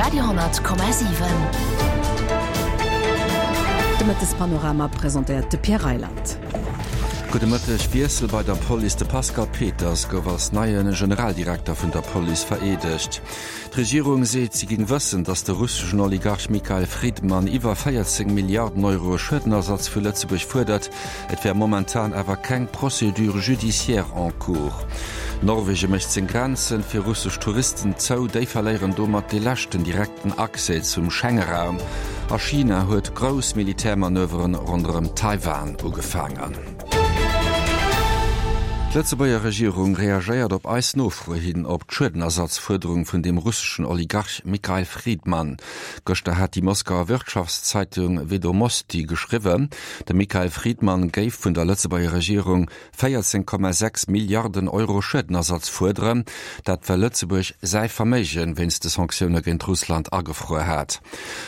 Radio,7. De Mëttespanorama presentéiert de Pierre Reyland. Gudde Mëtteg. Wiessel bei der Police, De Pascal Peters gouf als neie Generaldirekter vun der Police vereedegt. D'Regierung seet, si géing wëssen, datt de russeschen Oligarch Mikhail Fridman iwwer 14 Milliarden Euro Schuedenersatz vu Lëtzebuerg fuerdert. Et wär momentan awer keng Procédure judiciaire en cours. Norwege mécht seng Grenzen fir russesch Touristen zou, déi verléieren domat dee leschten direkten Accès zum Schengeraum. A China huet grouss Militärmanöveren ronderëm Taiwan ugefaangen. D'Lëtzebuerger Regierung reagéiert op eis Nofro hin op d'Schuedenersatzfuerderung vun dem russeschen Oligarch Mikhail Fridman. Gëschter hat déi Moskauer Wirtschaftszeitung Vedomosti geschriwwen, De Mikhail Fridman géif vun der Lëtzebuerger Regierung 14,6 Milliarden Euro Schuedenersatz fuerderen, dat well Lëtzebuerg säi Verméige wéinst de Sanktioune géint Russland agefruer hat.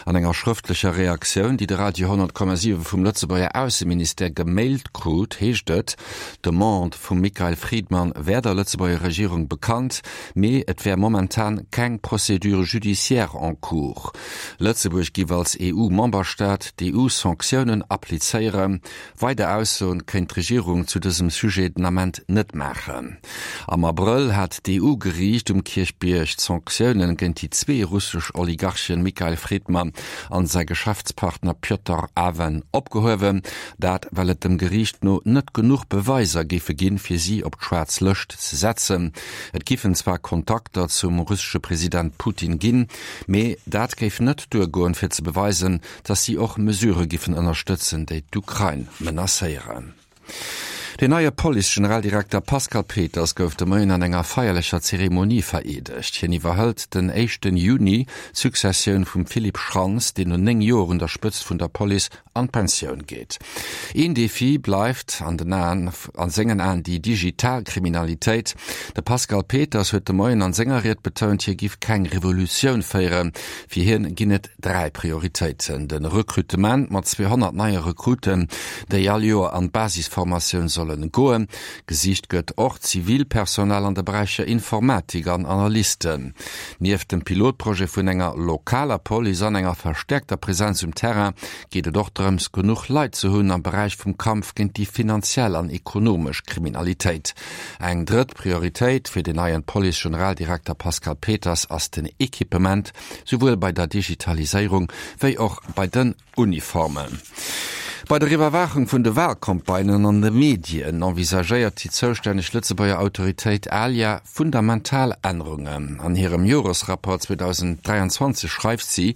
An enger schrëftlecher Reaktioun, déi de Radio 10,7 vum Lëtzebuerger Ausseministère gemailt krut, heescht et, d'Demande vum Mikhail Fridman wär der Lëtzebuerger Regierung bekannt, mee et wär momentan keng Procédure judiciaire en cours. Lëtzebuerg giff als EU-Memberstaat d'EU-Sanktiounen applizéieren. Weider Aussoen kéint d'Regierung zu dësem Sujet den Ament net maachen. Am Abrëll hat d'EU-Geriicht um Kierchbierg d'Sanktiounen géint déi zwee russesch Oligarchen Mikhail Fridman an säi Geschäftspartner Pjotr Aven opgehuewen. Dat well et dem Geriicht no net genuch Beweiser géife ginn, fir si op d'schwaarz Lëscht ze setzen. Et giffen zwar Kontakter zum russesche President Putin ginn, Mee dat géif net duergoen, fir ze beweisen, datt si och Mesurë giffen ënnerstëtzen, déi d'Ukrain menacéieren. Den neie Police-Generaldirekter Pascal Peters gouf de Moien an enger feierlecher Zeremonie vereedegt. Hien iwwerhëlt den éischten Juni d'Successioun vum Philippe Schrantz, deen no 9 Joer un der Spëtzt vun der Police an d'Pensioun geet. Een Defi bleift an den Aen, a sengen Aen déi digital Kriminalitéit. De Pascal Peters huet de Moien an senger Ried betount, hie giff keng Revolutioun féieren. Fir hien ginn et 3 Prioritéiten, de Recrutement mat 200 neie Recruten, déi all Joer an d'Basisformatioun sollen goen. Gesicht gëtt och Zivilpersonal an de Beräicher Informatik an Analysten. Nieft dem Pilotprojet vun enger lokaler Police an enger verstäerkter Presenz um Terrain geet et och drëms, genuch Leit ze hunn am Beräich vum Kampf géint déi finanziell an ekonomesch Kriminalitéit. Eng drëtt Prioritéit fir den neien Police-Generaldirekter Pascal Peters ass den Equipement, souwuel bei der Digitaliséierung wéi och bei den Uniformen. Bei der Iwwerwaachung vun de Walcampagnen an de Medien envisagéiert déi zoustänneg Lëtzebuerger Autoritéit ALIA fundamental Ännerungen. An hirem Joresrapport 2023 schreift si,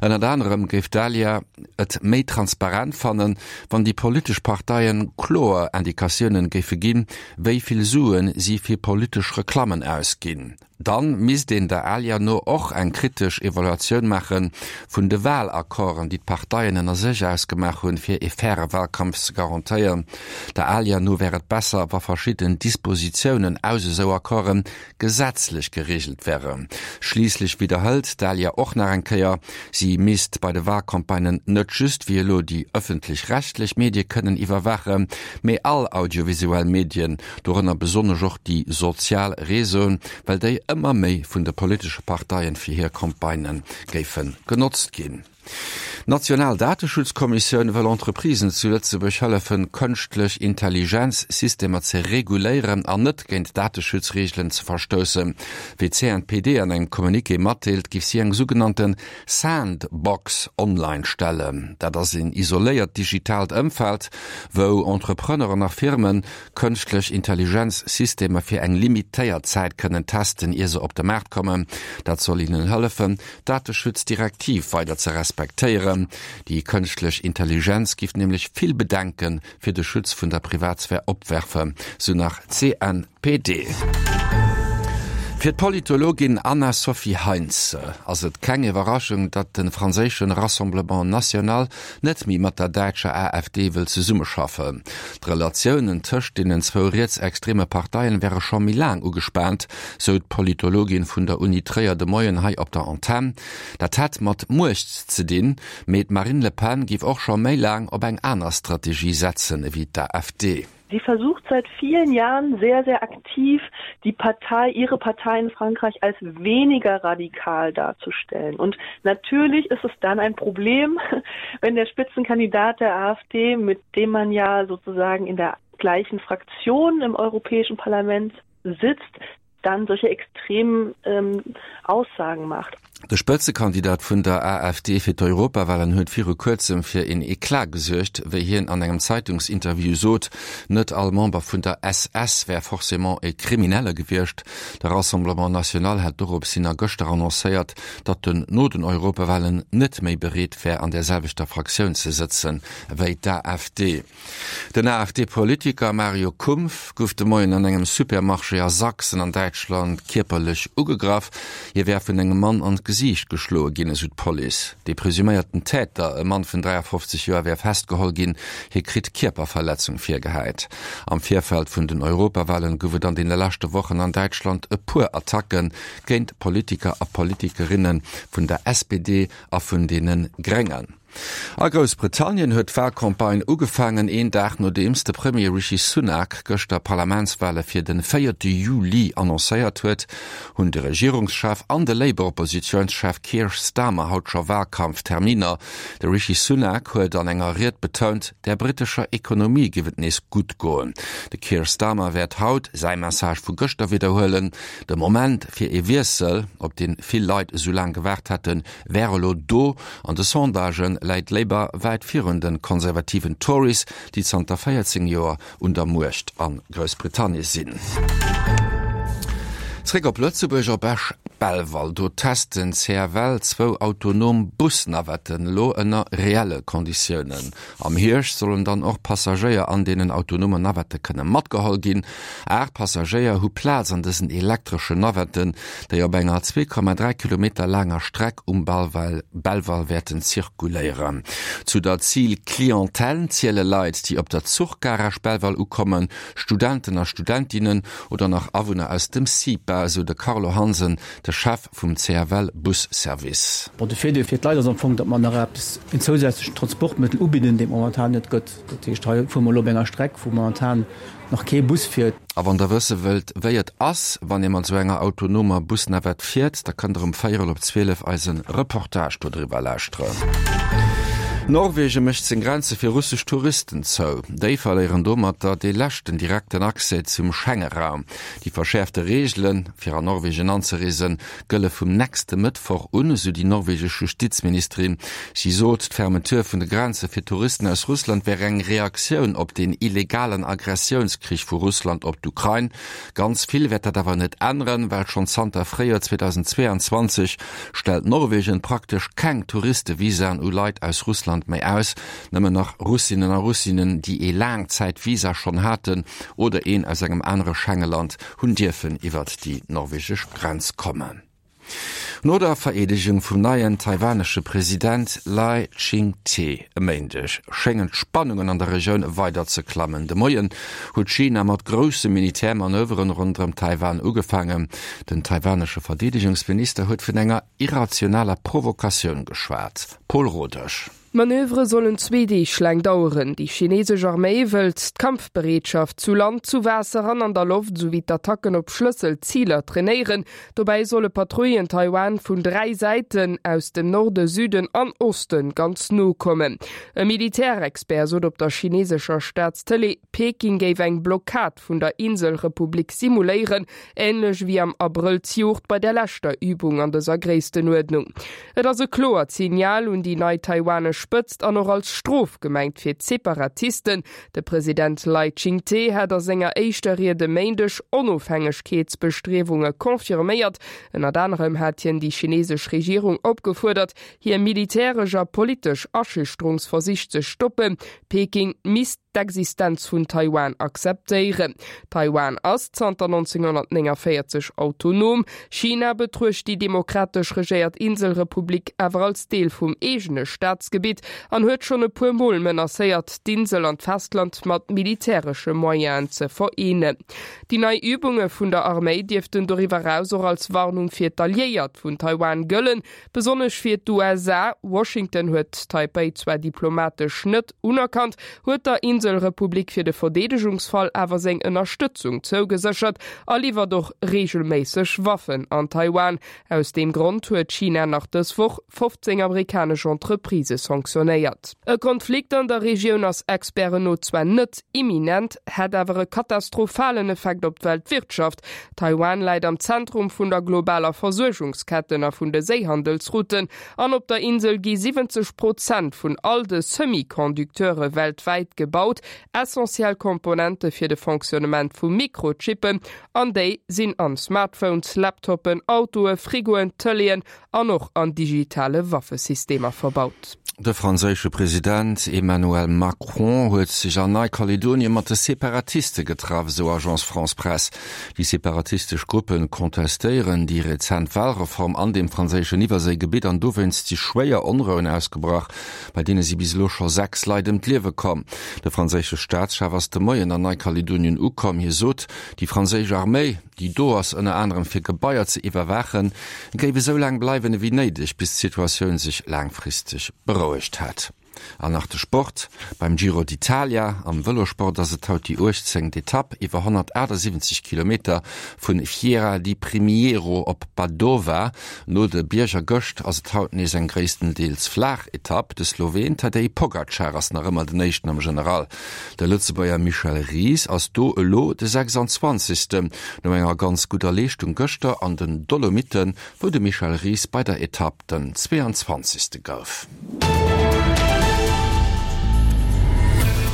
ënnert anerem géif d'ALIA et méi transparent fannen, wann déi politesch Parteien kloer Indikatiounen géife ginn, wéi vill Suen si fir politesch Reklammen ausginn. Dann misst een der ALIA no och eng kritesch Evaluatioun maache vun de Wahlaccorden, déi d'Parteien ënner sech ausgemaach hunn, fir ee faire Wahlkampf ze garantéieren. Der ALIA no wär et besser, wa verschidden Dispositiounen aus esou Accorde gesetzlech gereegelt wären. Schliisslech widderhëlt d'ALIA och nach eng Kéier, si misst bei de Wahlcampagnen net just wéi elo déi ëffentlech-rechtlech Medie kënnen iwwerwaachen, mee all audiovisuell Medien, dorënner besonnesch och déi sozial Réseauen, well déi ëmmer méi vun de politesche Parteien fir hir Campagnë géife genotzt ginn. D'national Dateschutzkommissioun wëll Entreprisen zu Lëtzebuerg hëllefen, kënschtlech Intelligenz-Systemer ze reguléieren an net géint Dateschutzreegelen ze verstoussen. Wéi d'CNPD an engem Communiqué matdeelt, giff si eng sougenannte Sandbox online stellen. Dat ass een isoléiert digitaalt Ëmfeld, wou Entrepreneuren a Firmen Kënschtlech Intelligenz-Systemer fir eng limitéiert Zäit kënnen testen, ier se op de Maart kommen. Dat soll hinnen hëllefen, d'Dateschutzdirektiv weider ze respektéieren. Déi kënschtlech Intelligenz giff nämlech vill Bedenke fir de Schutz vun der Privatsphär opwerfen, sou nach d'CNPD. Fir d'Politologin Anna-Sophie Heinze ass et keng Iwwerraschung, datt de franséische Rassemblement National net méi mat der däitscher AfD wëll zesummeschaffen. D'Relatiounen tëscht deenen zwou rietsextreme Parteien wäre scho méi laang ugespaant, sou d'Politologin vun der Uni Tréier de Moien hei op der Antenn. Dat hätt mat Muecht ze dinn, mee d'Marine Le Pen géif och scho méi laang op eng aner Strategie setzen ewéi d'AfD. Sie versucht seit vielen Jahren sehr, sehr aktiv, die Partei, ihre Partei in Frankreich als weniger radikal darzustellen. Und natürlich ist es dann ein Problem, wenn der Spitzenkandidat der AfD, mit dem man ja sozusagen in der gleichen Fraktion im Europäischen Parlament sitzt, dann solche extremen ähm, Aussagen macht. De Spëtzekandidat vun der AfD fir d'Europawahlen huet viru kuerzem fir een Eclat gesuergt, wéi hien an engem Zeitungsinterview sot, net all Member vun der SS wär forcément e Kriminelle gewiescht. De Rassemblement National hat dorops hin a gëschter annoncéiert, datt en no den Europawahlen net méi bereet wär an där selwechter Fraktioun ze sëtzen wéi d'AfD. Den AfD-Politiker Mario Kumpf gouf de Moien an engem Supermarché a Sachsen an Däitschland kierperlech ugegraff. Hie wär vun engem Mann an d'Gesiicht geschloe ginn, esou d'Police. De presuméierten Täter, e Mann vun 53 Joer, wär festgeholl ginn. Hie kritt Kierperverletzung virgehäit. Am Virfeld vun den Europawalen gouf et an deene leschte Wochen an Däitschland e puer Attacke géint Politiker a Politikerinne vun der SPD a vun deene Gréngen. A Groussbritannien huet d'Walcampagne ugefaangen, een Dag nodeems de Premier Rishi Sunak gëschter Parlamentswale fir de véierte Juli annoncéiert huet, hunn de Regierungschef an de Labour-Oppositiounschef Keir Starmer haut scho Walkampfterminer. De Rishi Sunak huet an enger Ried betount, der brittescher Ekonomie géif et nees gutt goen. De Keir Starmer wäert haut säi Message vu gëschter widderhuelen, De Moment fir ee Wiessel, op dee vill Leit esou laang gewaart hätten, wär elo do. An de Sondagë läit Labour wäit virun de konservativen Tories, déi zanter 14 Joer un der Muecht a Groussbritannien sinn. Zréck op Lëtzebuerg, op Esch-Belval. Do test den CFL zwou autonom Busnavetten, elo ënner reelle Konditiounen. Am Hierscht sollen dann och Passagéier an deenen autonomen Navette kënne matgeholl ginn. 8 Passagéier hu Plaz an dësen elektreschen Navetten, déi op enger 2,3 Kilometer laanger Streck um Belval wäerten zirkuléieren. Zu der Zil-Clientèle ziele Leit, déi op der Zuchgare Esch-Belval ukommen, Studenten a Studentinnen oder nach Awunner aus dem CIPA, esou de Carlo Hansen, de Chef vum CFL Busservice. Bon, de Virdeel fir d'Leit ass am Fong, datt mer nach eppes, en zousätzlechen Transportmëttel ubidden, deen et momentan net gëtt. Dat heescht, hei fuere mer elo op enger Streck, wou momentan nach kee Bus fiert. A wann der wësse wëllt, wéi et ass, wann ee mat esou enger autonomer Busnavette fiert, da kënnt der um véierel op 12 eise Reportage dodriwwer lauschteren. Norwegen mécht seng Grenze fir russesch Touristen zou. Déi verléieren domatter dee leschten direkten Accès zum Schengeraum. Déi verschäerfte Reegelen, fir an Norwegen anzereesen, gëlle vum nächste Mëttwoch un, esou déi norwegesch Justizministerin. Si sot, d'Fermeture vun de Grenze fir Touristen aus Russland wär eng Reaktioun op den illegalen Agressiounskrich vu Russland op d'Ukrain. Ganz vill wäert dat awer net änneren, well schonn zanter Fréijoer 2022 stellt Norwegen praktesch keng Touristevisaen u Leit aus Russland méi aus. Nëmmen nach Russinnen a Russinnen, déi ee Laangzäitvisa schonn haten oder een aus engem anere Schengeland, hunn dierfen iwwert déi norwegesch Grenz kommen. No der Vereedegung vum neien taiwanesche President Lai Ching-te e Méindeg schéngen d'Spannungen an der Regioun weider ze klammen. De Moien huet China mat grousse Militärmanöveren ronderëm Taiwan ugefaangen. Den taiwanesche Verdeedegungsminister huet vun enger irrationaler Provokatioun geschwat. Paul Rodesch. D'Manövere sollen zwee Deeg laang daueren. Déi chinesesch Arméi wëllt d'Kampfbereetschaft zu Land, zu Waasser an an der Loft esouwéi d'Attacken op Schlësselziler trainéieren. Dobäi solle Patrouillen Taiwan vun 3 Säiten, aus dem Norde, Süden an Osten, ganz no kommen. E Militärexpert sot op der chinesescher Staatstëlee, Peking géif eng Blockad vun der Inselrepublik simuléieren, Änlech ewéi am Abrëll zejoert bei der leschter Übung an dëser Gréisstenuerdnung. Et ass e kloert Signal un déi nei taiwanesch Spëtzt an och als Strof gemengt fir d'Separatisten. De President Lai Ching-te hat a senger éischter Ried e Méindeg Onofhängegkeetsbestriewunge confirméiert. Ënnert anerem hat hien déi chinesesch Regierung opgefuerdert, hir militäresch a politesch Aschüchterungsversich ze stoppen. Peking misst d'Existenz vun Taiwan akzeptéieren. Taiwan ass zanter 1949 autonom. China betruecht déi demokratesch regéiert Inselrepublik awer als Deel vum eegene Staatsgebitt an huet schonn e puer Mol menacéiert, d'Insel an d'Festland mat militäresche Moyenen ze vereenen. Déi nei Übunge vun der Arméi dierften doriwwer eraus och als Warnung fir d'Alliéiert vun Taiwan gëllen, Besonnesch fir d'USA, Washington huet Taipei zwar diplomatesch net unerkannt, huet der Insel. d'Inselrepublik fir de Verdeedegungsfall awer seng Ënnerstëtzung zougeséchert a liwwert och reegelméisseg Waffen an Taiwan. Aus deem Grond huet China nach dës Woch 15 amerikanesch Entreprisë sanktionéiert. E Konflikt an der Regioun ass Experten no zwar net imminent, hätt awer e katastrophalen Effekt op d'Weltwirtschaft. Taiwan läit am Zentrum vun der globaler Versuergungsketten a vun de Séihandelsrouten an op der Insel gi 70 Prozent vun all de Semi-Conducteure weltwäit gebaut, essentiell Komponente fir de Fonctionnement vu Mikrochippen An déi sinn an Smartphones, Laptoppen, Autoe, Frigoen, Tëleeën an och an digitale Waffesystemer verbaut. De franséische President Emmanuel Macron huet sech an Neikaledonie mat de Separatiste getraff, esou Agence France-Presse. Déi separatistesch Gruppe kontestéieren déi rezent Walreform an dem franséischen Iwwerséigebitt an dowéinst si schwéier Onrouen ausgebrach, bei deene si bis elo scho 6 Leit ëm d'Liewe komm. De franséische Staatschef ass de Moien an Neikaledonien ukomm. Hie sot, Déi franséisch Arméi, déi do ass ënner anerem fir Gebaier ze iwwerwaachen, géif esou laang bleiwen ewéi néideg, bis d'Situatioun sech laangfristeg berouegt hätt. An nach de Sport, Beim Giro d'Italia am Vëlosport ass et haut déi 18. Etapp iwwer 178 Kilometer vu Fiera di Primiero op Padova. No de Bierger gëscht ass et haut nees eng gréisstendeels flaach Etapp. De Sloween Tadej Pogacar ass nach ëmmer den Éischten am General. De Lëtzebuerger Michel Ries ass do elo de 26. No enger ganz gudder Leeschtung gëschter an den Dolomitten, wou de Michel Ries bei der Etapp den 22. gouf.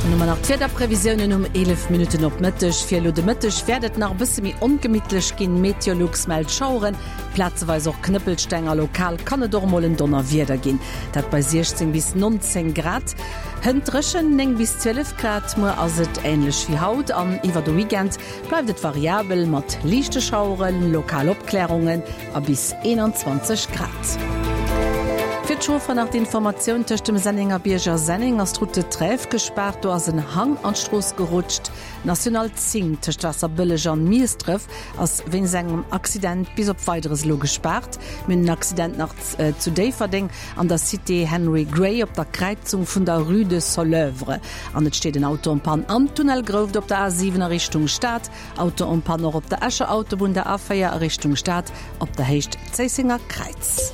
Dann hu mer nach d'Wiederprevisiounen um 11 Minutten op Mëtteg. Fir elo de Mëtteg wäert et nach e bësse méi ongemittlech ginn. Meteolux mellt Schaueren, plazeweis och Knëppelsteng a lokal kann et och emol en Donnerwieder ginn. Dat bei 16 bis 19 Grad. Hënt dréchen, 9 bis 12 Grad. Muer ass et änlech wéi haut an iwwer de Weekend bleift et variabel mat liichte Schaueren, lokal Opklärungen a bis 21 Grad. Fir d'Chauffer nach d'Informatioun, Tëscht dem Sennengerbierg a Senneng ass d'Route de Trèves gespaart. Do ass en Hang an d'Strooss gerutscht. D'National 10 tëscht Waasserbëlleg an Miesdref ass wéinst engem Accident bis op Weideres elo gespaart. Mir hunn en Accident nach zu Déifferdeng an der Cité Henry Gray op der Kräizung vun der Rue de Soleuvre. An et steet en Auto en panne am Tunnel Grouft op der A7 a Richtung Stad. Auto en panne och op der Escher Autobunn, der A4 a Richtung Stad op der Héicht Zéissenger Kräiz.